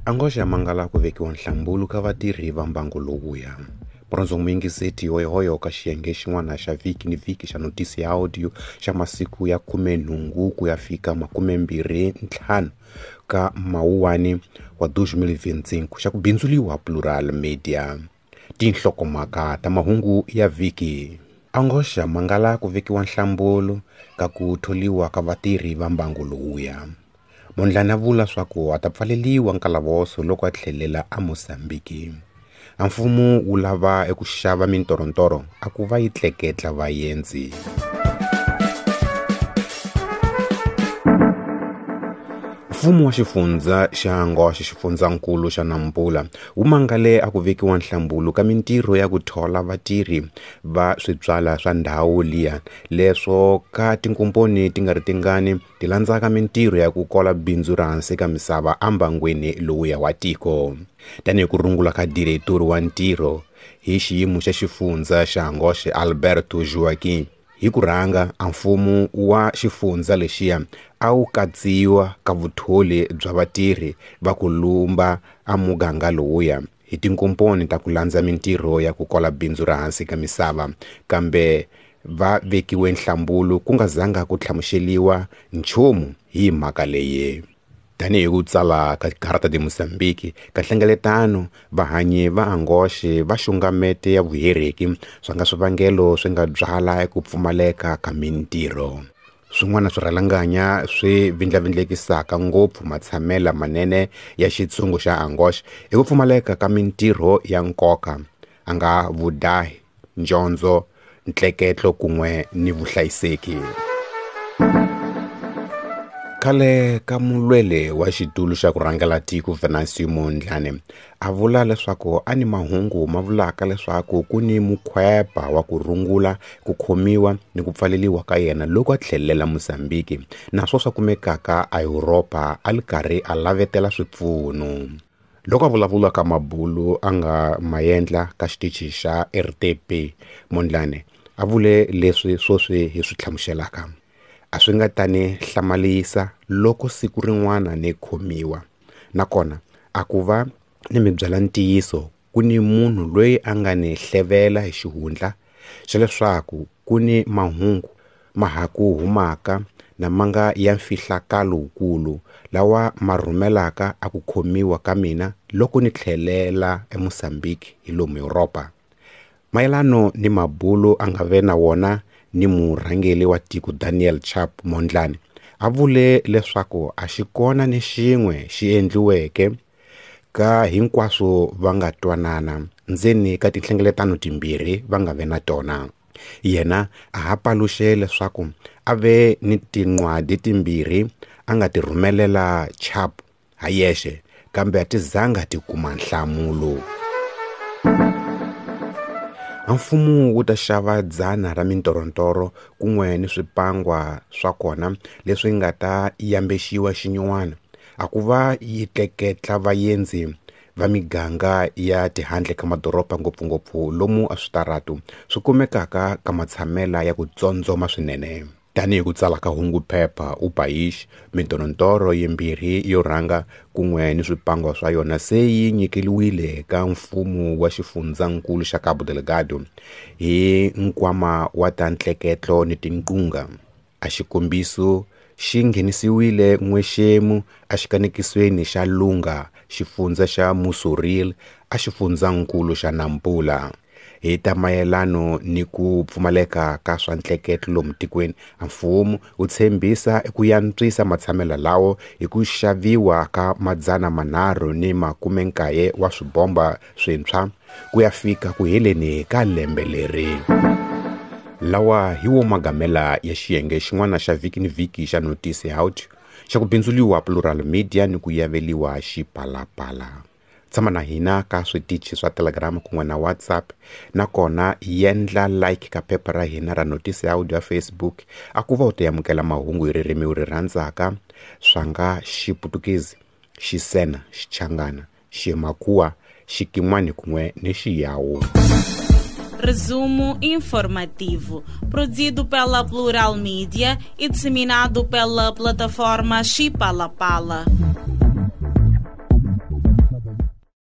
Angoxa mangala ku vekiwa nhlambulu ka vatirhi va mbango lowuya. Murhandziwa muyingiseti hoyohoyo ka xiyenge xin'wana xa vhiki ni vhiki xa notisi ya audio xa masiku ya 18 ku ya fika 25 ka Mawuwani wa 2025 xa ku bindzuliwa Plural Media. Tinhlokomhaka ta mahungu ya vhiki. Angoxa mangala ku vekiwa nhlambulu ka ku tholiwa ka vatirhi va mbango lowuya. Mondlane a vula swa ku a ta pfaleliwa nkalavoso loko a tlhelela a Mozambiki. A mfumo wu lava eku xava mintorontoro a ku va yi tleketla vaendzi. Mfumo wa xifundza xa Angoxa xifundzankulu xa Nampula wu mangale a ku vekiwa nhlambulu ka mintirho ya ku thola vatirhi va switswala swa ndhawu liya leswo ka tinkomponi ti nga ri tingani ti landzaka mintirho ya ku kola bindzu ra hansi ka misava ambangwini lowuya wa tiko. Tanihi ku rungula ka diretori wa ntirho hi xiyimo xa xifundza xa Angoxe Alberto Joaquim, hi ku rhanga a mfumo wa xifundza lexiya a wu katsiwa ka vutholi bya vatirhi va ku lumba a muganga lowuya hi tinkomponi ta ku landza mintirho ya ku kola bindzu ra hansi ka misava, kambe va vekiwe nhlambulu ku nga zanga ku hlamuseliwa nchumu hi mhaka leyi. Tanihi ku tsala ka Carta de Mozambique ka nhlengeletano, vahanyi va Angoxe va xungamete ya vuhereki swa nga swivangelo swi nga byala ku pfumaleka ka mintirho. Swin'wana swirhalanganya swi vindlavindlekisaka ngopfu matshamela manene ya xitshungu xa Angoxe i ku pfumaleka ka mintirho ya nkoka, a nga vudahi, njondzo, ntleketlo kun'we ni vuhlayiseki. Khale ka mulwele wa xitulu xa ku rhangela tiko Venancio Mondlane a vula leswaku a ni mahungu ma vulaka leswaku ku ni mukhwepa wa ku rungula ku khomiwa ni ku pfaleliwa ka yena loko a tlhelela Mozambique naswo swa kumekaka a Europa a li karhi a lavetela swipfuno. Loko a vulavula ka mabulu a nga maendla ka xitichi xa RTP, Mondlane a vule leswi swoswi hi swi hlamuselaka. A swi nga ta ni hlamarisa loko siku rin'wana ni khomiwa. Nakona a ku va ni mi byela ntiyiso ku ni munhu loyi a nga ni hlevela hi xihundla xa leswaku ku ni mahungu ma ha ku humaka na ma nga ya mfihlakalo wukulu lawa ma rhumelaka a ku khomiwa ka mina loko ni tlhelela eMozambique hi lomu Europa. Mayelano ni mabulu a nga ve na wona ni murhangeri wa tiko Daniel Chapo Mondlane a vule leswaku a xi kona ni xin'we xi endliweke ka hinkwaswo va nga twanana ndzeni ka tinhlengeletano timbirhi va nga ve na tona. Yena a ha paluxe leswaku a ve ni tinqwadi timbirhi a nga ti rhumelela Chapo ha yexe, kambe a ti zanga ti kuma nhlamulo. A mfumo wu ta xava 100 ra mintorontoro kun'we ni swipangwa swa kona leswi nga ta yambexiwa xinyuwana a ku va yi tleketla vaendzi va miganga ya tihandle ka madoroba ngopfungopfu lomu a switaratu swi kumekaka ka matshamela ya ku tsondzoma swinene. Tanihi ku tsala ka hungu phepha u País, mintorontoro yimbirhi yo rhanga kun'we ni swipangwa swa yona se yi nyikeliwile ka mfumo wa xifundzankulu xa Cabo Delgado hi nkwama wa ta ntleketlo ni tinqunga. A xikombiso xi nghenisiwile n'wexemu exikanekisweni xa Lunga, xifundza xa Mossuril, a xifundzankulu xa Nampula. Hi ta mayelano ni ku pfumaleka ka swa ntleketlo lomu tikweni, a mfumo wu tshembisa ku yantswisa matshamelo lawo hi ku xaviwa ka 390 wa swibomba swintshwa ku ya fika ku heleni ka lembe leri. Lawa hi wo magamela ya xiyenge xin'wana xa vhiki ni vhiki xa Notisi ya Audio xa ku bindzuliwa Plural Media ni ku yaveliwa Xipalapala. Tshama na hina ka switichi swa Telegram kun'we na WhatsApp, nakona yendla like ka phepha ra hina ra Notisi ya Audio ya Facebook a ku va u ta amukela mahungu hi ririmi u ri rhandzaka swa nga Xiputukezi, Xisena, Xichangana, Ximakhuwa, Xikin'wani kun'we ni Xiyawu. Resumo informativo, produzido pela Plural Media e disseminado pela plataforma Xipalapala.